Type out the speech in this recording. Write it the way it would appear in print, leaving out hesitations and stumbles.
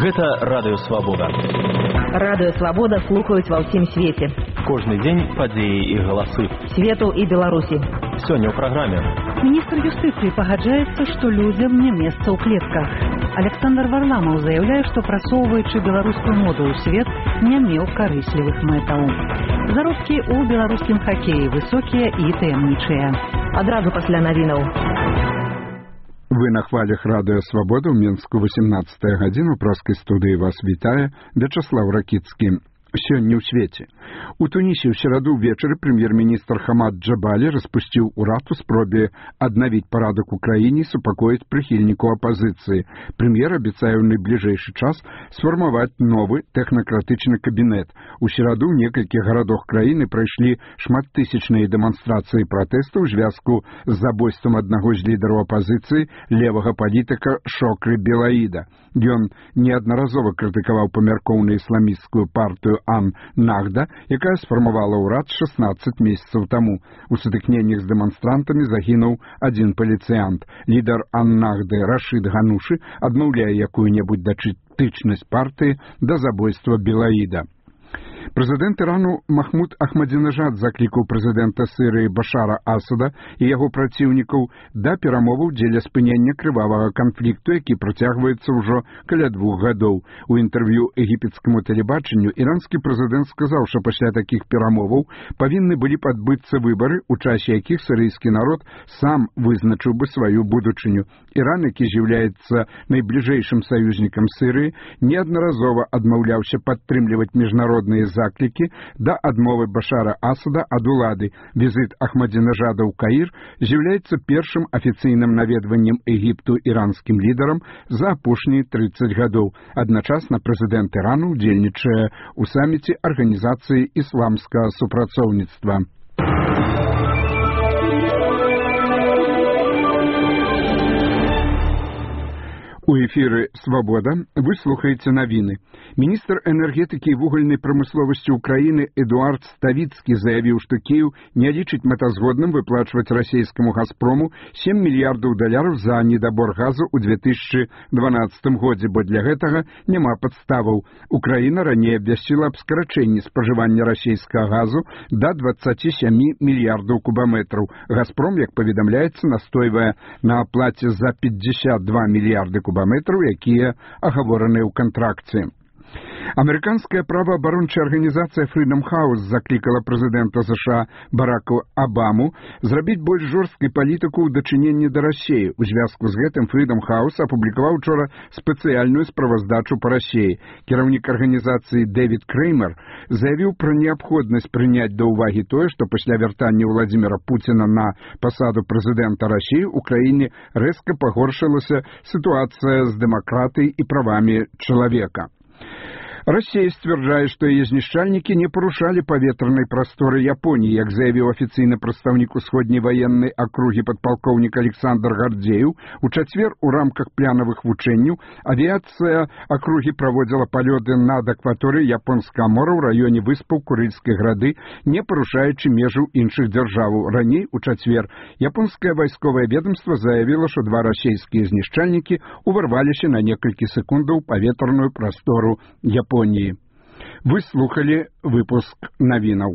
Гэта Радыё Свабода. Радыё Свабода слухаюць ва ўсім свеце. Кожны дзень падзеі і галасы. Свету і Беларусі. Сёння ў праграме. Міністр юстыцыі пагаджаецца, што людзям не месца ў клетках. Александр Варламаў заяўляе, што прасоўваючы беларускую моду ў свет, не меў карыслівых мэтаў. Заробкі ў беларускім хакеі высокія і таямнічыя. Адразу пасля навінаў. Вы на хвалях Радыё Свабода ў Мінску 18 гадзіну. Праскай студыі вас вітае Вячаслав Ракіцкі. Сёння ў свеце. У Тунісе ў сераду ўвечары прэм'ер-міністр Хамад Джабалі распусціў урад у спробе аднавіць парадак у краіне і супакоіць прыхільнікаў апазіцыі. Прэм'ер абяцае ў найбліжэйшы час сфармаваць новы тэхнакратычны кабінет. У сераду ў некалькіх гарадах краіны прайшлі шматтысячныя дэманстрацыі пратэсту ў звязку з забойствам аднаго з лідараў апазіцыі, левага палітыка Шокры Белаіда. Ён неаднаразова крытыкаваў памяркоўную ісламісцкую партыю Ан-Нахда, якая сфармавала ўрад 16 месяцаў таму. У сутыкненнях з дэманстрантамі загінуў адзін паліцыянт. Лідар Ан-Нахды Рашид Ганушы адмаўляе якую-небудзь датычнасць партыі да забойства Белаіда. Прэзідэнт Ірану Махмуд Ахмадзінежад заклікаў прэзідэнта Сірыі Башара Асада і яго праціўнікаў да перамоваў дзеля спынення крывавага канфлікту, які працягваецца ўжо каля 2 гадоў. У інтэрв'ю егіпецкаму тэлебачанню іранскі прэзідэнт сказаў, што пасля такіх перамоваў павінны былі б адбыцца выбары, у часе якіх сірыйскі народ сам вызначыў бы сваю будучыню. Іран, які з'яўляецца найбліжэйшым саюзнікам Сірыі, неаднаразова адмаўляўся падтрымліваць міжнародныя заклікі да адмовы Башара Асада ад улады. Візіт Ахмадзінежада ў Каір з'яўляецца першым афіцыйным наведваннем Егіпту іранскім лідарам за апошнія 30 гадоў. Адначасна прэзідэнт Ірану ўдзельнічае ў саміце Арганізацыі ісламскага супрацоўніцтва. У эфіры «Свабода» вы слухаеце навіны. Міністр энергетыкі і вугальнай прамысловасці ўкраіны Эдуард Ставіцкі заявіў, што Кіеў не лічыць мэтазгодным выплачваць расійскаму «Газпрому» $7 мільярдаў за недабор газу ў 2012 годзе, бо для гэтага няма падставаў. Украіна раней абвясціла аб скарачэнні спажывання расійскага газу да 27 мільярдаў кубаметраў. «Газпром», як паведамляецца, настойвае на аплаце за 52 мільярды кубаметраў, якія агавораныя ў кантракце. Амерыканская праваабарончая арганізацыя Freedom House заклікала прэзідэнта США Барака Абаму зрабіць больш жорсткай палітыку ў дачыненні да Расіі. У звязку з гэтым Freedom House апублікаваў учора спецыяльную справаздачу па Расіі. Кіраўнік арганізацыі Дэвід Креймер заявіў пра неабходнасць прыняць да ўвагі тое, што пасля вяртання Владзіміра Пуціна на пасаду прэзідэнта Расіі ў краіне рэзка пагоршылася сітуацыя з дэмакратыяй і правамі чалавека. Россия сцвярджае, што яе знішчальнікі не парушалі паветранай прасторы Японіі, як заявіў афіцыйны прадстаўнік усходняй ваеннай акругі падпалкоўнік Александр Гардзеў. У чацвер у рамках планавых вучэнняў авіяцыя акругі праводзіла палёты над акваторыяй японскага мора ў раёне выспаў Курыльскай грады, не парушаючы межаў іншых дзяржаваў. Раней, у чацвер, японскае вайсковае ведомства заявіла, што 2 расійскія знішчальнікі уварваліся на некалькі секундаў паветраную прастору Японіі. Вы слухали выпуск навінаў.